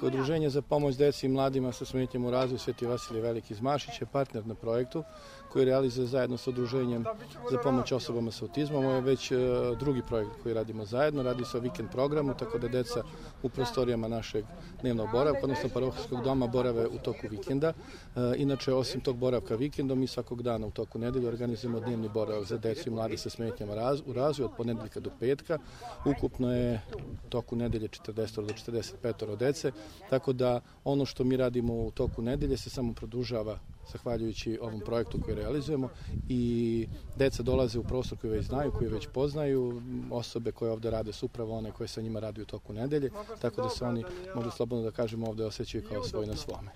Udruženje za pomoć deci i mladima sa smetnjama u razvoju Sveti Vasilije Veliki iz Mašića je partner na projektu koji realizuje zajedno sa Udruženjem za pomoć osobama sa autizmom. Ovo je već drugi projekt koji radimo zajedno. Radi se o vikend programu, tako da deca u prostorijama našeg dnevnog boravka, odnosno parohijskog doma, borave u toku vikenda. Inače, osim tog boravka vikendom, mi svakog dana u toku nedelje organizujemo dnevni boravak za decu i mlade sa smetnjama u razvoju od ponedeljka do petka. Ukupno je u toku nedelje 40 do 45 dece. Tako da ono što mi radimo u toku nedelje se samo produžava zahvaljujući ovom projektu koji realizujemo i deca dolaze u prostor koji već znaju, koji već poznaju, osobe koje ovde rade su upravo one koje sa njima radi u toku nedelje, tako da se oni, možda slobodno da kažemo, ovde osjećaju kao svoj na svome.